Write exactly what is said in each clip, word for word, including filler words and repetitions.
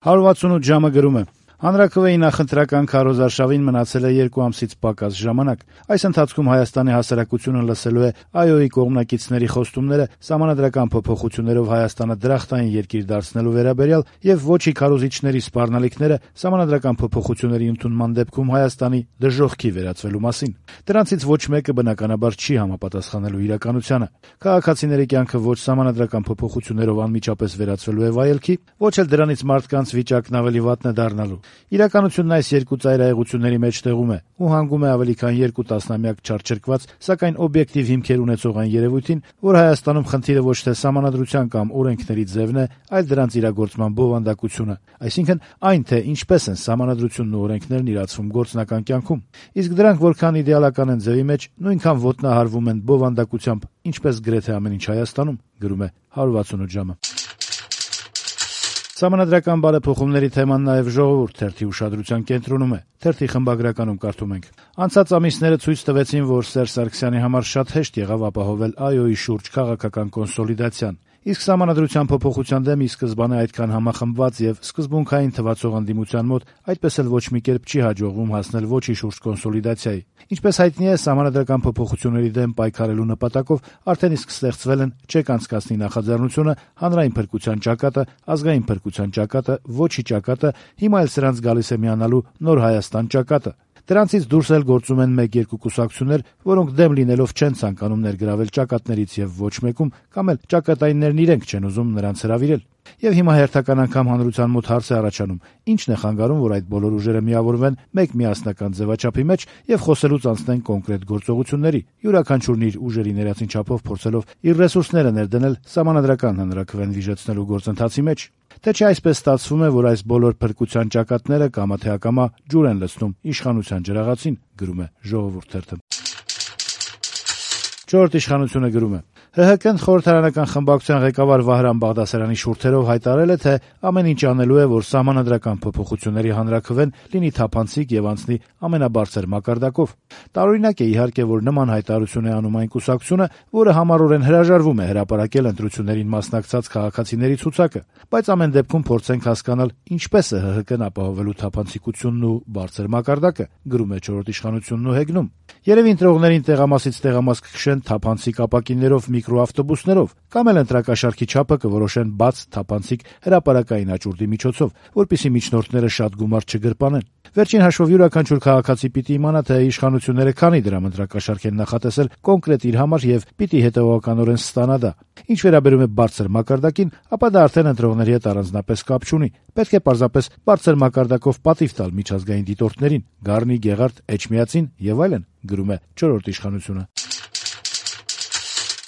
հարյուր վաթսունութ ժամը գրում է. Հանրաքվեի նախընտրական քարոզարշավին մնացել է երկու ամսից պակաս ժամանակ։ Այս ընթացքում Հայաստանի հասարակությունը լսելու է ԱՅՈ-ի կողմնակիցների խոստումները սահմանադրական փոփոխություններով Հայաստանը դրախտային երկիր դարձնելու վերաբերյալ եւ ոչի քարոզիչների սպառնալիքները սահմանադրական փոփոխությունների ընդունման դեպքում Հայաստանի դժոխքի վերածվելու մասին։ Դրանցից ոչ մեկը բնականաբար չի համապատասխանելու իրականությանը։ Քաղաքացիների կյանքը ոչ սահմանադրական փոփոխություններով անմիջապես վերածվելու է վայելքի, ոչ էլ դրանից մարդկանց վիճակն ավելի վատն է դառնալու։ Իրականությունն այս երկու ծայրահեղությունների մեջտեղում է ու հանգում է ավելի քան երկու տասնամյակ չարչրկված, սակայն օբյեկտիվ հիմքեր ունեցող այն երևույթին, որ Հայաստանում խնդիրը ոչ թե սահմանադրության կամ օրենքների ձևն է, այլ դրանց իրագործման բովանդակությունը, այսինքն այն, թե ինչպես են սահմանադրությունն ու օրենքներն իրացվում գործնական կյանքում։ Իսկ դրանք որքան իդեալական են ձևի մեջ, նույնքան ոտնահարվում են բովանդակությամբ, ինչպես գրեթե ամեն ինչ Հայաստանում, գրում է հարյուր վաթսունութ ժամը։ Սահմանադրական բարեփոխումների թեման նաև «Ժողովուրդ» թերթի ուշադրության կենտրոնում է։ Թերթի խմբագրականում կարդում ենք. Անցած ամիսները ցույց տվեցին, որ Սերժ Սարգսյանի համար շատ հեշտ եղավ ապահովել ԱՅՈ-ի շուրջ քաղաքական կոնսոլիդացիան։ Իսկ սահմանադրության փոփոխության դեմ ի սկզբանե այդքան համախմբված եւ սկզբունքային թվացող ընդդիմության մոտ այդպես էլ ոչ մի կերպ չի հաջողվում հասնել ոչի շուրջ կոնսոլիդացիայի։ Ինչպես հայտնի է, սահմանադրական փոփոխությունների դեմ պայքարելու նպատակով արդեն իսկ ստեղծվել են չեք անցկացնի նախաձեռնությունը, հանրային փրկության ճակատը, ազգային փրկության ճակատը, ոչի ճակատը, հիմա էլ սրանց գալիս է միանալու Նոր Հայաստան ճակատը։ Դրանցից դուրս էլ գործում են մեկ-երկու կուսակցություններ, որոնք դեմ լինելով չեն ցանկանում ներգրավել ճակատներից եւ ոչ մեկում, կամ էլ ճակատայիններն իրենք չեն ուզում նրանց հրավիրել։ Եվ հիմա հերթական անգամ հանրության մոտ հարց է առաջանում. ի՞նչն է խանգարում, որ այդ բոլոր ուժերը միավորվեն մեկ միասնական ձևաչափի մեջ եւ խոսելուց անցնեն կոնկրետ գործողությունների, յուրաքանչյուրն իր ուժերի ներածին չափով փորձելով իր ռեսուրսները ներդնել սահմանադրական հանրաքվեն վիժեցնելու գործընթացի մեջ։ Թե չէ այսպես ստացվում է, որ այս բոլոր փրկության ճակատները կամա թե ակամա ջուր են լցնում իշխանության ջրաղացին, գրում է «Ժողովուրդ» թերթը։ Չորրորդ իշխանությունը գրում է. ՀՀԿ-ն խորհրդարանական խմբակցության ղեկավար Վահրամ Բաղդասարյանի շուրթերով հայտարարել է, թե ամեն ինչ անելու է, որ սահմանադրական փոփոխությունների հանրաքվեն լինի թափանցիկ եւ անցնի ամենաբարձր մակարդակով։ Տարօրինակ է իհարկե, որ նման հայտարարություն է անում այն կուսակցությունը, որը համառորեն հրաժարվում է հրապարակել ընտրություններին մասնակցած քաղաքացիների ցուցակը, բայց ամեն դեպքում փորձենք հասկանալ ինչպես է ՀՀԿ-ն ապահովելու թափանցիկությունն ու բարձր մակարդակը, գրում է չորրորդ իշխանությունն ու հեգնում։ Երևի ընտրողներին տեղամասից տեղամաս կքշեն թափանցիկ ապակիներով, միկրոավտոբուսներով, կամ էլ ընտրակաշառքի չափը կորոշեն բաց թափանցիկ հրապարակային աճուրդի միջոցով, որպեսզի միջնորդները շատ գումար չգրպանեն։ Վերջին հաշվով յուրաքանչյուր քաղաքացի պիտի իմանա, թե իշխանությունները քանի դրամ ընտրակաշառք են նախատեսել կոնկրետ իր համար եւ պիտի հետեւողականորեն ստանա դա։ Ինչ վերաբերում է բարձր մակարդակին, ապա դա արդեն ընտրողների հետ առանձնապես կապ չունի։ Պետք է պարզապես բարձր մակարդակով պատիվ տալ միջազգային դիտորդներին՝ Գառնի, Գեղարդ, Էջմիածին եւ այլն, գրում է չորրորդ իշխանությունը։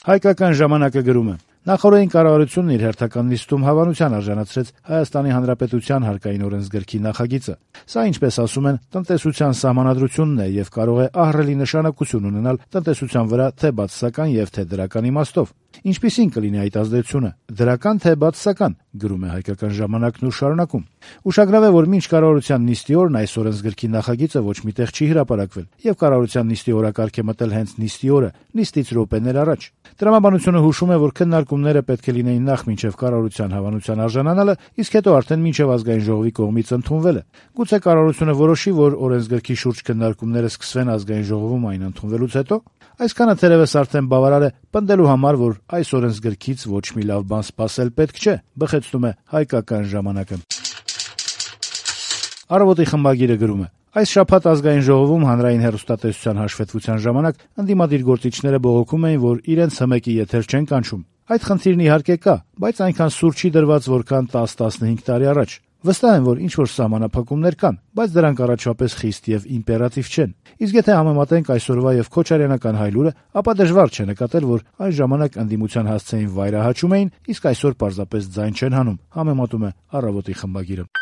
Հայկական ժամանակը գրում է. Նախօրեին կառավարությունն իր հերթական նիստում հավանության արժանացրեց Հայաստանի Հանրապետության հարկային օրենսգրքի նախագիծը։ Սա, ինչպես ասում են, տնտեսության սահմանադրությունն է եւ կարող է ահռելի նշանակություն ունենալ տնտեսության վրա թե բացասական եւ թե դրական իմաստով։ Ինչպիսին կլինի այդ ազդեցությունը՝ դրական թե բացասական, գրում է Հայկական ժամանակն ու շարունակում. Ուշագրավ է, որ մինչ կառավարության նիստի օրն այս օրենսգրքի նախագիծը ոչ միտեղ չի հրապարակվել եւ կառավարության նիստի օրակարգ է մտել հենց նիստի օրը, նիստից րոպեներ առաջ։ Տրամաբանությունը հուշում է, որ քննարկումները պետք է լինեին նախ մինչև կառավարության հավանության արժանանալը, իսկ հետո արդեն մինչև ազգային ժողովի կողմից ընդունվելը։ Գուցե կառավարությունը որոշի, որ օրենսգրքի շուրջ քննարկումները սկսվեն ազգային ժողովում այն ընդունվելուց հետո։ Այսքանը թերևս արդեն բավարար է պնդելու համար, որ այս օրենսգրքից ոչ մի լավ բան սպասել պետք չէ, բխեցնում է Հայկական ժամանակը։ Առավոտի խմբագիրը գրում է. Այս շաբաթ ազգային ժողովում հանրային հեռուստատեսության հաշվետվության ժամանակ ընդդիմադիր գործիչները բողոքում էին, որ իրենց հմեկի եթեր չեն կանչում։ Այդ խնդիրն իհարկե կա, բայց այնքան սուր չի դրված, որքան տաս-տասնհինգ տարի առաջ։ Վստահ եմ, որ ինչ-որ սահմանափակումներ կան, բայց դրանք առաջվապես խիստ եւ իմպերատիվ չեն։ Իսկ եթե համեմատենք այսօրվա եւ քոչարյանական հայլուրը, ապա դժվար չէ նկատել, որ այն ժամանակ ընդդիմության հասցեին վայրահաչում էին, իսկ այսօր պարզապես ձայն չեն հանում, համեմատում է Առավոտի խմբագիրը։